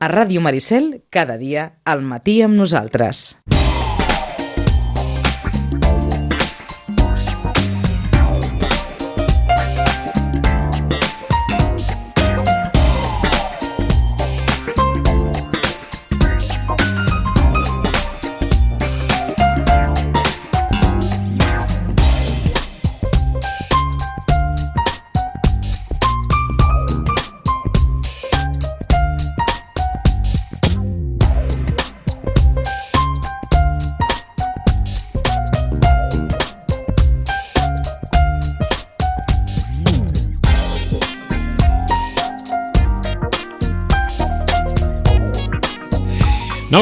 A Ràdio Maricel, cada dia al matí amb nosaltres.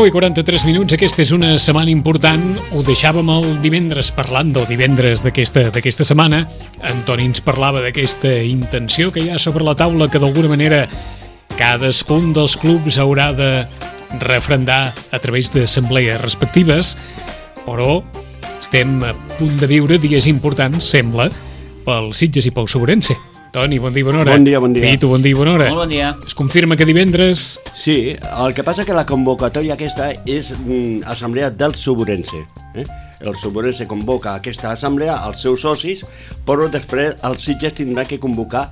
I 43 minuts, aquesta és una setmana important. Ho deixàvem el divendres parlant del divendres d'aquesta setmana. Antoni ens parlava d'aquesta intenció que hi ha sobre la taula, que d'alguna manera cadascun dels clubs haurà de referendar a través d'assemblees respectives, però estem a punt de viure dies importants, sembla, pel Sitges i pel Sobrense. Toni, bon dia, bona hora. Bon dia, bon dia. Pitu, bon dia, bona hora. Molt bon dia. Es confirma que divendres... Sí, el que passa que la convocatòria aquesta és assemblea del Sobrense. El Sobrense convoca aquesta assemblea als seus socis, però després el Sitges tindrà que convocar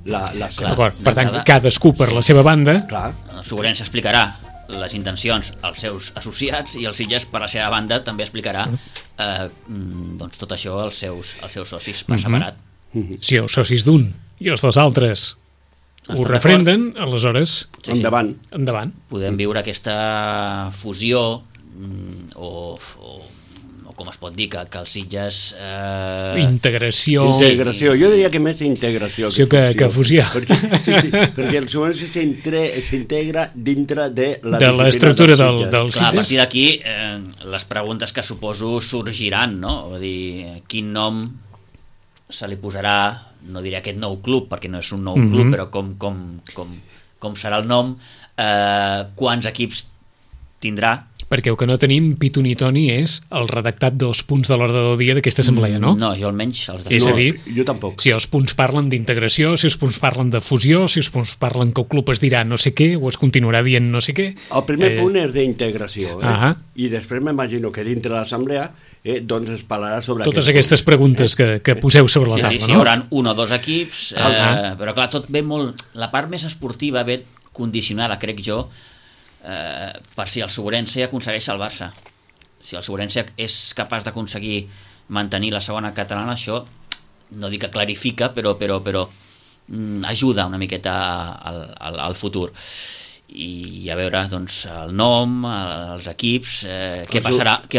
la seva. D'acord, per tant, cadascú per la seva banda. Clar. El Sobrense explicarà les intencions als seus associats i el Sitges, per la seva banda, també explicarà doncs, tot això als seus socis per separat. Si els socis d'un i els dels altres ho refrenden, aleshores... Sí. Endavant. Podem viure aquesta fusió o com es pot dir, que el Sitges... Integració. Jo diria que més integració que fusió. Perquè el Sobrense s'integra dintre de l'estructura del Sitges. Clar, a partir d'aquí, les preguntes que suposo sorgiran, no? Vull dir, quin nom se li posarà, no diré aquest nou club, perquè no és un nou club, però com serà el nom, quants equips tindrà. Perquè el que no tenim, Pitu ni Toni, és el redactat dels punts de l'ordre del dia d'aquesta assemblea, no? No, jo almenys els És a dir, jo tampoc. Si els punts parlen d'integració, si els punts parlen de fusió, si els punts parlen que el club es dirà no sé què, o es continuarà dient no sé què... El primer punt és d'integració, i després m'imagino que dintre de l'assemblea doncs es parlarà sobre totes aquestes preguntes que poseu sobre la taula, no? Hi haurà un o dos equips, però clar, tot ve molt... La part més esportiva ve condicionada, crec jo, per si el Sobrense aconsegueix salvar-se. Si el Sobrense és capaç d'aconseguir mantenir la segona catalana, això no dic que clarifica, però ajuda una miqueta al futur. I a veure, doncs, el nom, els equips, què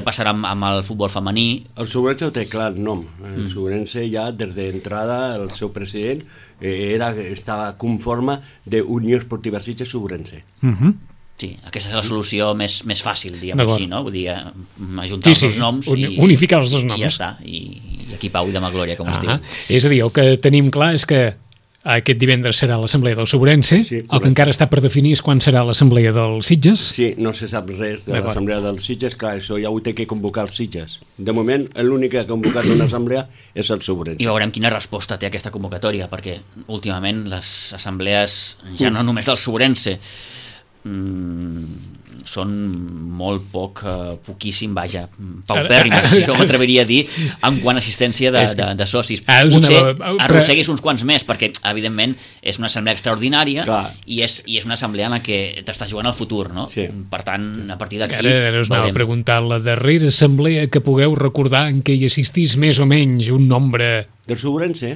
passarà amb el futbol femení. El Sobrense té clar el nom. El Sobrense ja des d'entrada, el seu president estava conforme d'Unió Esportiva Sitges Sobrense. Sí, aquesta és la solució més fàcil, diguem així, no? Vull dir, ajuntar els dos noms unificar els dos noms. I ja està, i aquí pau i demà glòria, com es diu. És a dir, el que tenim clar és que aquest divendres serà l'assemblea del Sobrense, el que encara està per definir és quan serà l'assemblea del Sitges. Sí, no se sap res de l'assemblea del Sitges, clar, això ja ho té que convocar el Sitges. De moment, l'únic que ha convocat una assemblea és el Sobrense. I veurem quina resposta té aquesta convocatòria, perquè últimament les assemblees, ja no només del Sobrense, són molt poquíssim, vaja, paupèrrimes, jo m'atreviria a dir, en quant a assistència de socis. Potser arrosseguis uns quants més, perquè, evidentment, és una assemblea extraordinària i és una assemblea en la que t'estàs jugant al futur, no? Per tant, a partir d'aquí... Ara us anava a preguntar, la darrera assemblea que pugueu recordar en què hi assistís més o menys un nombre... Del Sobrense?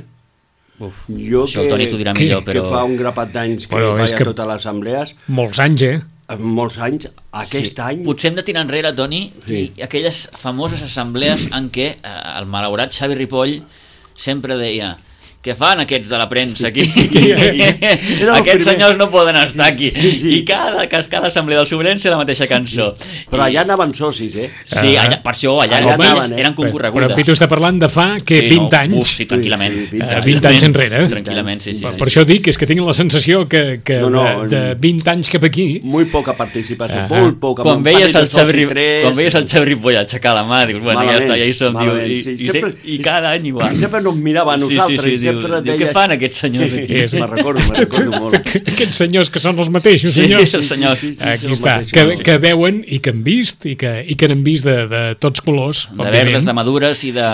Jo el Toni t'ho dirà millor, però... Que fa un grapat d'anys que vaig a totes les assemblees... Molts anys, molts anys, aquest any... Potser hem de tirar enrere, Toni, i aquelles famoses assemblees en què el malaurat Xavi Ripoll sempre deia: què fan aquests de la premsa aquí? Aquests senyors no poden estar aquí. I cada assemblea del Sobrense la mateixa cançó. Però allà anaven socis, Sí, per això allà eren concorregudes. Però Pitu està parlant de fa 20 anys. Sí, tranquil·lament. 20 anys enrere. Tranquil·lament, sí. Per això dic, és que tinc la sensació que de 20 anys cap aquí... Molt poca participació, molt poca. Quan veies el Xavi Ripoll aixecar la mà, dius, bueno, ja està, ja hi som, i cada any igual. Sempre nos mirava a nosaltres, diu què fan aquests senyors aquí? Me'n recordo molt. Aquests senyors que són els mateixos senyors. Aquí està, que veuen i que han vist i que n'han vist de tots colors, de verdes, de madures i de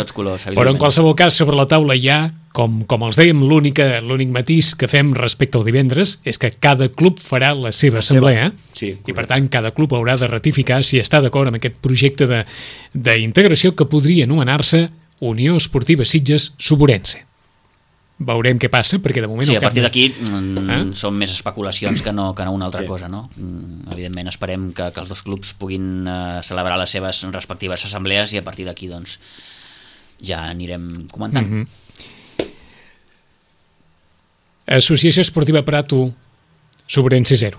tots colors. Però en qualsevol cas, sobre la taula hi ha, com els dèiem, l'únic matís que fem respecte al divendres és que cada club farà la seva assemblea i per tant cada club haurà de ratificar si està d'acord amb aquest projecte d'integració que podria anomenar-se Unió Esportiva Sitges Suburense. Veurem què passa, perquè de moment... Sí, a partir d'aquí són més especulacions que no una altra cosa, no? Evidentment esperem que els dos clubs puguin celebrar les seves respectives assemblees i a partir d'aquí doncs ja anirem comentant. Associació Esportiva Prato Suburense 0.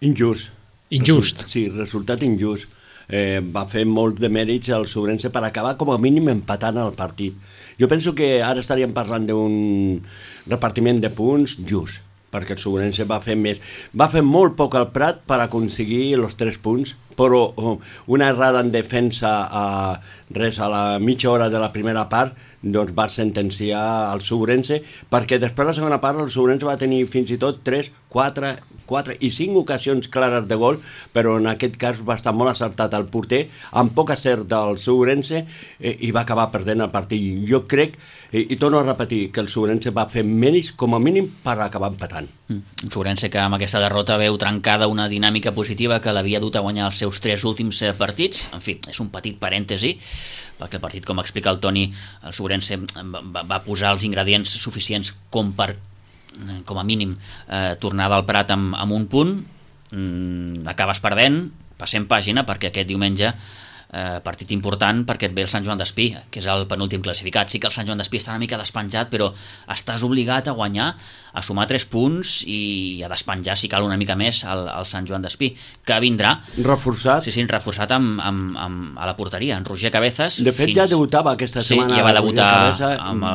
Injust. Sí, resultat injust. Va fer molt de mèrits al Suburense per acabar com a mínim empatant el partit. Jo penso que ara estaríem parlant d'un repartiment de punts just, perquè el Suburense va fer més. Va fer molt poc al Prat per aconseguir els 3 punts, però una errada en defensa a la mitja hora de la primera part doncs va sentenciar el Suburense, perquè després de la segona part el Suburense va tenir fins i tot 3, 4 i 5 ocasions clares de gol, però en aquest cas va estar molt acertat el porter, amb poc acert del Suburense, i va acabar perdent el partit. Jo crec, i torno a repetir, que el Suburense va fer mèrits com a mínim per acabar empatant. Un Suburense que amb aquesta derrota veu trencada una dinàmica positiva que l'havia dut a guanyar els seus 3 últims partits. En fi, és un petit parèntesi, perquè el partit, com explica el Toni, el Suburense va posar els ingredients suficients com a mínim tornar del Prat amb un punt, acabes perdent, passem pàgina, perquè aquest diumenge partit important perquè et ve el Sant Joan d'Espí, que és el penúltim classificat. Sí que el Sant Joan d'Espí està una mica despenjat, però estàs obligat a guanyar, a sumar 3 punts i a despenjar, si cal, una mica més al Sant Joan d'Espí, que vindrà reforçat. Sí, reforçat a la porteria, en Roger Cabezas. De fet, ja debutava aquesta setmana. Sí, ja va debutar.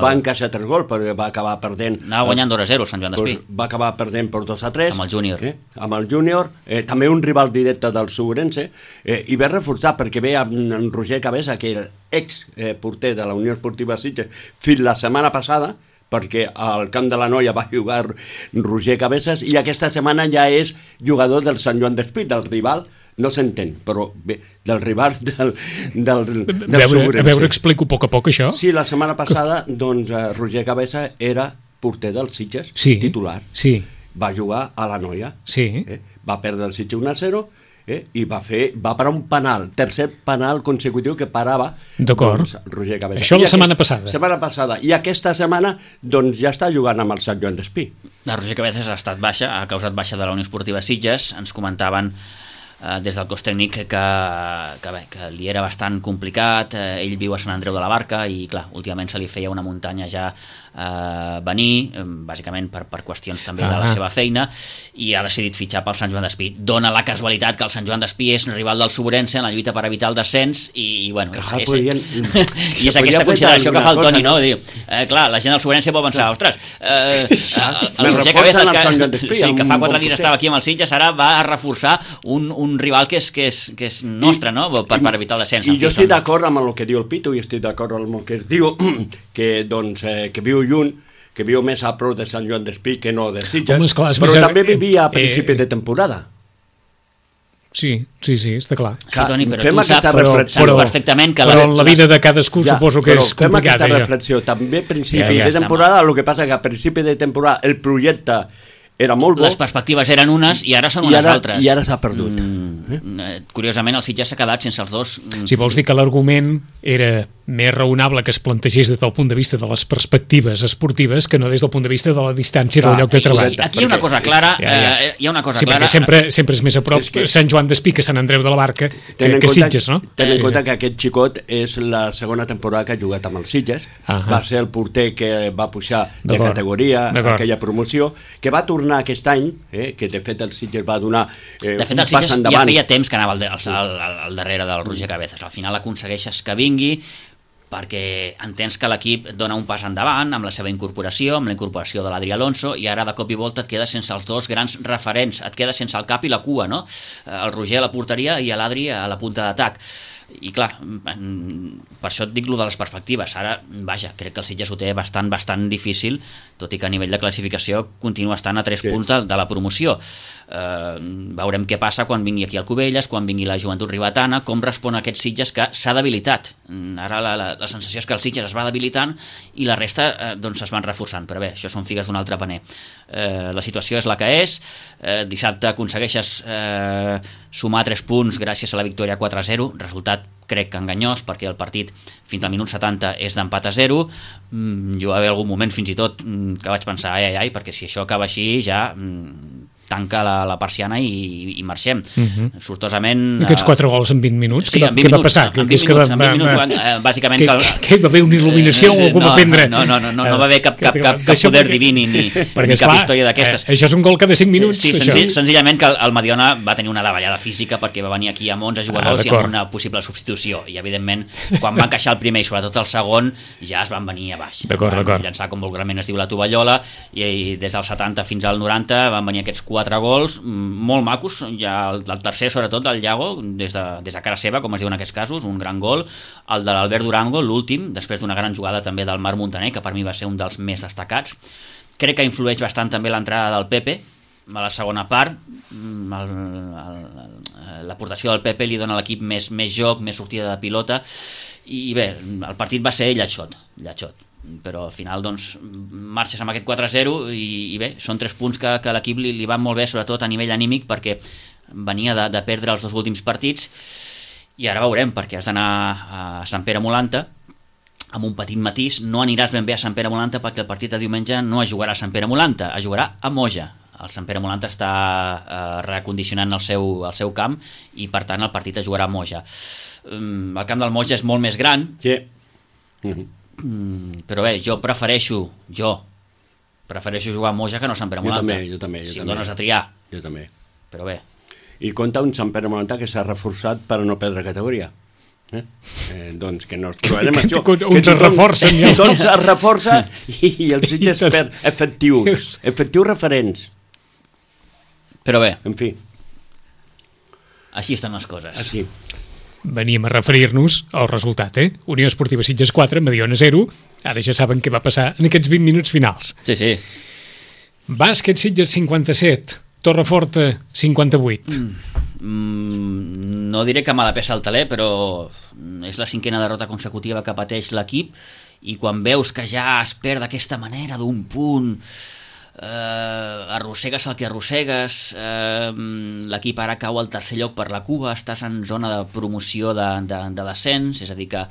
Va encaixar 3 gols, perquè va acabar perdent. Anava guanyant 2-0 el Sant Joan d'Espí. Va acabar perdent per 2-3. Amb el júnior. Amb el júnior. També un rival directe del Suburense. I ve reforçat perquè ve en Roger Cabeza, que era ex-porter de la Unió Esportiva Sitges fins la setmana passada, perquè al Camp de la Noia va jugar Roger Cabezas, i aquesta setmana ja és jugador del Sant Joan d'Espí, del rival, no s'entén, però bé, del rival del Suburense. A veure, explico a poc això. Sí, la setmana passada, doncs, Roger Cabeza era porter del Sitges, titular. Sí. Va jugar a la Noia. Sí. Va perdre el Sitges 1-0, i va parar un penal, tercer penal consecutiu que parava doncs, Roger Cabeza. Això la setmana passada. I aquesta setmana doncs, ja està jugant amb el Sant Joan d'Espí. La Roger Cabezas ha estat baixa, ha causat baixa de la Unió Esportiva Sitges. Ens comentaven des del cos tècnic que li era bastant complicat. Ell viu a Sant Andreu de la Barca i clar, últimament se li feia una muntanya ja venir, bàsicament per qüestions també de la seva feina, i ha decidit fitxar pel Sant Joan d'Espí. Dona la casualitat que el Sant Joan d'Espí és rival del Suburense en la lluita per evitar el descens i bueno, és aquesta consideració que fa el Toni, no? Diu, clar, la gent del Suburense pot pensar, ostres, el Roger Cabezas, que fa 4 dies estava aquí amb el Sitges, ara va a reforçar un rival que és nostre, no? Per evitar el descens. I jo estic d'acord amb el que diu el Pitu, i estic d'acord amb el que es diu que viu lluny, que viu més a prop de Sant Joan d'Espí que no de Sitges, però també vivia a principi de temporada. Sí, està clar. Sí, Toni, però tu saps perfectament que... Però la vida de cadascú suposo que és complicada. Fem aquesta reflexió. També a principi de temporada, el que passa que a principi de temporada el projecte era molt bo. Les perspectives eren unes i ara són unes altres. I ara s'ha perdut. Curiosament, el Sitges s'ha quedat sense els dos. Si vols dir que l'argument era més raonable que es plantegés des del punt de vista de les perspectives esportives que no des del punt de vista de la distància del lloc de treball. Aquí hi ha una cosa clara. Hi ha una cosa clara. Sempre és més a prop Sant Joan d'Espí que Sant Andreu de la Barca que Sitges, no? Ten en compte que aquest xicot és la segona temporada que ha jugat amb el Sitges. Va ser el porter que va pujar de categoria aquella promoció, que va tornar aquest any, que de fet el Sitges va donar un pas endavant. De fet el Sitges ja feia temps que anava al darrere del Roger Cabezas. Al final aconsegueixes que vingui perquè entens que l'equip dona un pas endavant amb la seva incorporació, amb la incorporació de l'Adri Alonso, i ara de cop i volta et quedes sense els dos grans referents, et quedes sense el cap i la cua, no? El Roger a la porteria i l'Adri a la punta d'atac. I clar, per això et dic lo de les perspectives. Ara, vaja, crec que el Sitges ho té bastant difícil, tot i que a nivell de classificació continua estant a 3 punts de la promoció. Veurem què passa quan vingui aquí el Cubelles, quan vingui la Joventut Ribetana, com respon aquest Sitges que s'ha debilitat. Ara la sensació és que el Sitges es va debilitant i la resta doncs es van reforçant, però bé, això són figues d'un altre paner. La situació és la que és. Dissabte aconsegueixes sumar 3 punts gràcies a la victòria 4-0, resultat crec que enganyós, perquè el partit fins al minut 70 és d'empat a 0. Jo va haver algun moment fins i tot que vaig pensar, ai, perquè si això acaba així ja tanca la persiana i marxem. Sortosament... Aquests 4 gols en 20 minuts, sí, què va passar? En 20 minuts, bàsicament... Que hi va haver una il·luminació o algú va prendre? No va haver cap poder diví ni cap història d'aquestes. Això és un gol cada 5 minuts. Sí, senzillament que el Mediona va tenir una davallada física perquè va venir aquí amb 11 jugadors i amb una possible substitució. I, evidentment, quan va encaixar el primer i sobretot el segon, ja es van venir a baix. Van llançar, com vulgarment es diu, la tovallola, i des del 70 fins al 90 van venir aquests 4 gols molt macos, ja el tercer sobretot del Iago, des de cara seva, com es diu en aquests casos, un gran gol, el de l'Albert Durango, l'últim, després d'una gran jugada també del Marc Montaner, que per mi va ser un dels més destacats. Crec que influeix bastant també l'entrada del Pepe a la segona part. L'aportació del Pepe li dona a l'equip més joc, més sortida de pilota, i bé, el partit va ser llatxot, però al final doncs marxes amb aquest 4-0 i bé, són 3 punts que l'equip li van molt bé, sobretot a nivell anímic, perquè venia de perdre els 2 últims partits, i ara veurem, perquè has d'anar a Sant Pere Molanta amb un petit matís. No aniràs ben bé a Sant Pere Molanta perquè el partit de diumenge no es jugarà a Sant Pere Molanta, es jugarà a Moja. El Sant Pere Molanta està recondicionant el seu camp i per tant el partit es jugarà a Moja. El camp del Moja és molt més gran, però bé, jo prefereixo jugar a Moja que no a Sant Pere Molanta. Jo també. Si em dones a triar. Jo també. Però bé. I compta un Sant Pere Molanta que s'ha reforçat per no perdre categoria. Doncs que no ens trobarem això. Uns es reforcen. Doncs es reforça i els Sitges perd efectius referents. Però bé. En fi. Així estan les coses. Així. Veníem a referir-nos al resultat, Unió Esportiva Sitges 4, Mediona 0. Ara ja saben què va passar en aquests 20 minuts finals. Sí. Bàsquet Sitges 57, Torreforta 58. No diré que mala peça al taler, però és la 5a derrota consecutiva que pateix l'equip, i quan veus que ja es perd d'aquesta manera d'un punt, arrossegues el que arrossegues, l'equip ara cau al tercer lloc per la cua, estàs en zona de promoció de descens, és a dir que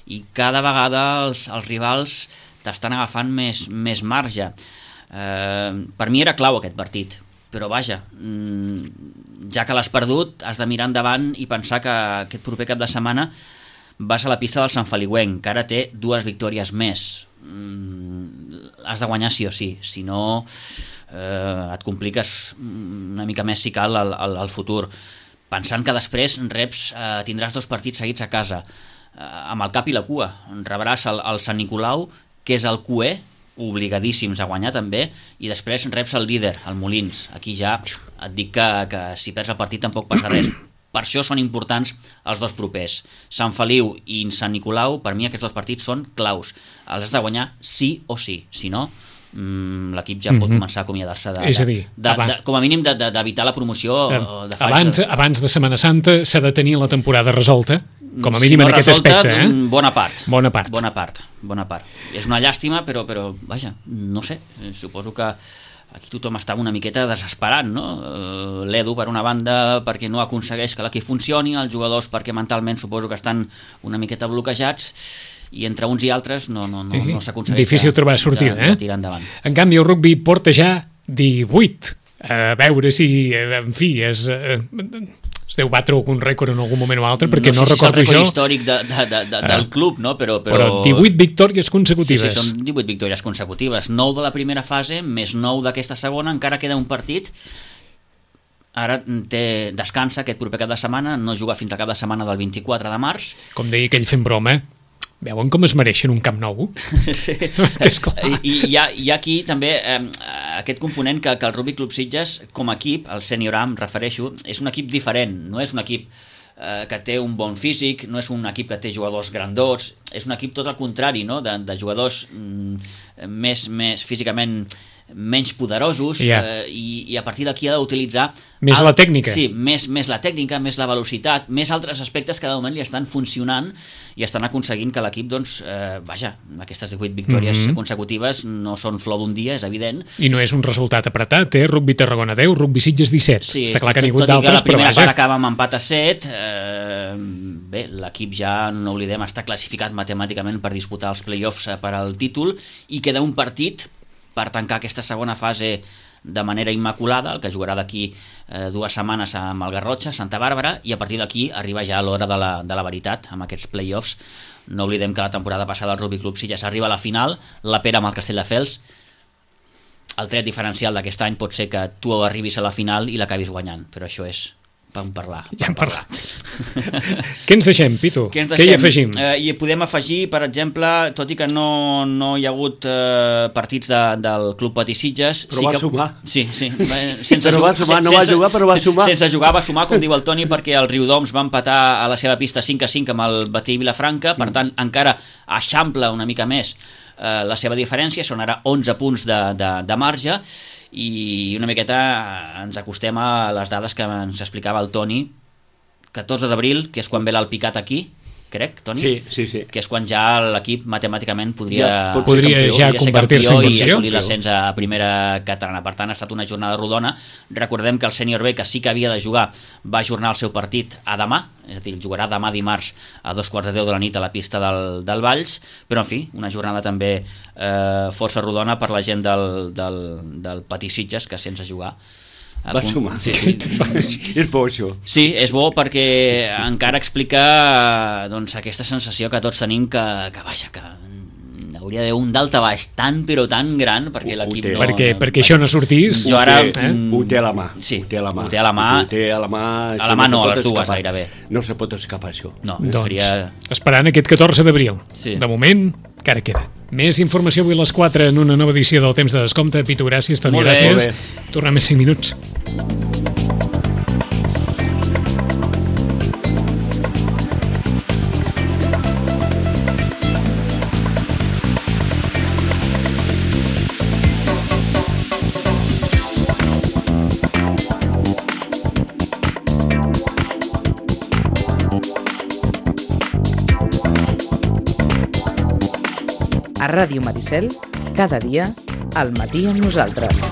i cada vegada els rivals t'estan agafant més marge. Per mi era clau aquest partit, però vaja, ja que l'has perdut has de mirar endavant i pensar que aquest proper cap de setmana vas a la pista del Sant Feliuenc, que ara té 2 victòries més. Has de guanyar sí o sí, si no et compliques una mica més si cal al futur, pensant que després tindràs 2 partits seguits a casa, amb el cap i la cua. Rebràs el Sant Nicolau, que és el cué, obligadíssims a guanyar també, i després reps el líder, el Molins. Aquí ja et dic que si perds el partit tampoc passa res. Per això són importants els 2 propers. Sant Feliu i Sant Nicolau, per mi aquests 2 partits són claus. Els has de guanyar sí o sí. Si no, l'equip ja pot començar a acomiadar-se com a mínim d'evitar la promoció de faixa. Abans de Setmana Santa s'ha de tenir la temporada resolta, com a mínim en aquest aspecte. Bona part. És una llàstima, però vaja, no sé, suposo que aquí tothom està una miqueta desesperant, no? L'Edu, per una banda, perquè no aconsegueix que l'equip funcioni, els jugadors perquè mentalment suposo que estan una miqueta bloquejats, i entre uns i altres no s'aconsegueix. Difícil trobar sortida, de tirar endavant. En canvi, el rugby porta ja 18. A veure si, en fi, es deu batre algun rècord en algun moment o altre, perquè no recordo jo. No sé si és el rècord històric del club, no? Però 18 victòries consecutives. Sí, són 18 victòries consecutives. 9 de la primera fase, més 9 d'aquesta segona, encara queda un partit. Ara descansa aquest proper cap de setmana, no juga fins al cap de setmana del 24 de març. Com deia aquell fent broma, veuen com es mereixen un camp nou? Sí. I hi ha aquí també aquest component que el Rugby Club Sitges, com a equip, el Senior A, em refereixo, és un equip diferent, no és un equip que té un bon físic, no és un equip que té jugadors grandots, és un equip tot al contrari, no? de jugadors més físicament menys poderosos, i a partir d'aquí ha d'utilitzar més la tècnica. Sí, més la tècnica, més la velocitat, més altres aspectes que de moment li estan funcionant i estan aconseguint que l'equip, doncs, aquestes 18 victòries consecutives no són flor d'un dia, és evident. I no és un resultat apretat, Rugby Tarragona 10, Rugby Sitges 17. Sí, està clar que n'hi ha hagut d'altres, però vaja. Tot i que la primera part acaba amb empat a 7, bé, l'equip ja, no oblidem, està classificat matemàticament per disputar els play-offs per al títol, i queda un partit per tancar aquesta segona fase de manera immaculada, el que jugarà d'aquí 2 setmanes amb el Garrotxa, Santa Bàrbara, i a partir d'aquí arriba ja l'hora de la veritat amb aquests play-offs. No oblidem que la temporada passada el Rugby Club Sitges arriba a la final, la pera amb el Castelldefels. El tret diferencial d'aquest any pot ser que tu arribis a la final i l'acabis guanyant, però això és vam parlar. Ja hem parlat. Què ens deixem, Pitu? Què hi afegim? I podem afegir, per exemple, tot i que no hi ha hagut partits del Club Patí Sitges... Però va sumar. Sí. No va jugar, però va sumar. Sense jugar, va sumar, com diu el Toni, perquè el Riudoms va empatar a la seva pista 5-5 amb el Batí Vilafranca, per tant, encara eixampla una mica més la seva diferència, són ara 11 punts de marge, i una miqueta ens acostem a les dades que ens explicava el Toni. 14 d'abril, que és quan ve l'Alpicat aquí, crec, Toni? Sí. Que és quan ja l'equip matemàticament podria ja convertir-se en campió i assolir l'ascens a primera catalana. Per tant, ha estat una jornada rodona. Recordem que el sènior B, que sí que havia de jugar, va ajornar el seu partit a demà, és a dir, jugarà demà dimarts a 2:45 de la nit a la pista del Valls, però en fi, una jornada també força rodona per la gent del Patí Sitges, que sense jugar va sumar. Sí. És bo, això. Sí, és bo perquè encara explica aquesta sensació que tots tenim que hauria d'haver un daltabaix tan però tan gran perquè l'equip no... Perquè això no sortís. Jo ara... Ho té a la mà. Sí, ho té a la mà. A la mà no, a les dues gairebé. No se pot escapar, això. No, seria... Esperant aquest 14 d'abril. Sí. De moment, encara queda. Més informació avui a les 4 en una nova edició del Temps de Descompte. Pitu, gràcies, Toni, gràcies. Tornem més 5 minuts. A Ràdio Maricel, cada dia, al matí amb nosaltres.